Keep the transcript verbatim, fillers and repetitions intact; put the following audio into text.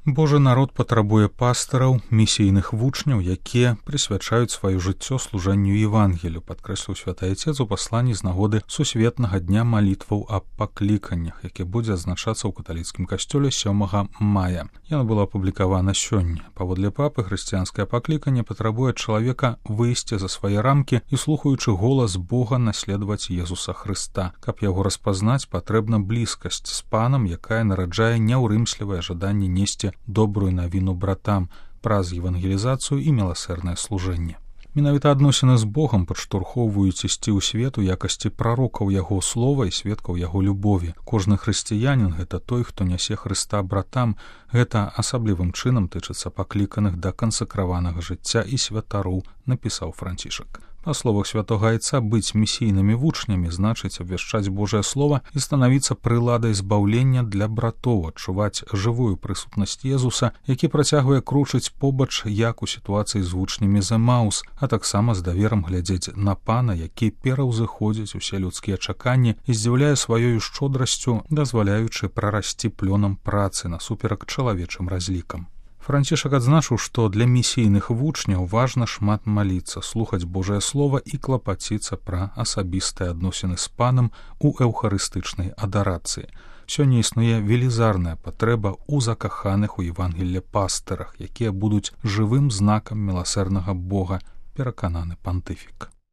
Божы народ патрабуе пастыраў, місійных вучняў, якія прысвячаюць сваё жыццё служэнню Евангелію, падкрэсліў святы Айцец у пасланні з нагоды сусветнага дня малітваў аб пакліканнях, які будзе адзначацца ў каталіцкім касцёле сёмага мая. Яно было апублікавана сёння. Паводле папы, хрысціянскае пакліканне патрабуе ад чалавека выйсці за свае рамкі і, слухаючы голас Бога, наследаваць Езуса Хрыста. Каб яго распазнаць, патрэбна блізкасць з панам, якая нараджае няўрымслівае жаданне несці добрую навіну братам праз евангелізацыю і міласэрнае служэнне. Менавіта адносіны з Богам падштурхоўваюць ісці ў свет у якасці прарокаў яго слова і сведкаў яго любові. Кожны хрысціянін — гэта той, хто нясе Хрыста братам. Гэта асаблівым чынам тычыцца пакліканых да кансакраванага жыцця і святароў, напісаў Францішак. Па словах святога Айца, быць місійнымі вучнямі значыць абвяшчаць Божае Слова і станавіцца прыладай збаўлення для братоў, адчуваць жывую прысутнасць Езуса, які працягвае кручыць побач, як у сітуацыі з вучнямі з Эмаус, а таксама з даверам глядзець на пана, які пераўзыходзіць усе людскія чаканні і здзіўляе сваёю шчодрасцю, дазваляючы прарасці плёнам працы насуперак чалавечым разлікам. Францішак адзначыў, што для місійных вучняў важна шмат маліцца, слухаць Божае Слова і клапаціцца пра асабістыя адносіны з панам у эўхарыстычнай адарацыі. Сёння існуе велізарная патрэба ў закаханых у Евангелле пастырах, якія будуць жывым знакам міласэрнага Бога, перакананы пантыфік.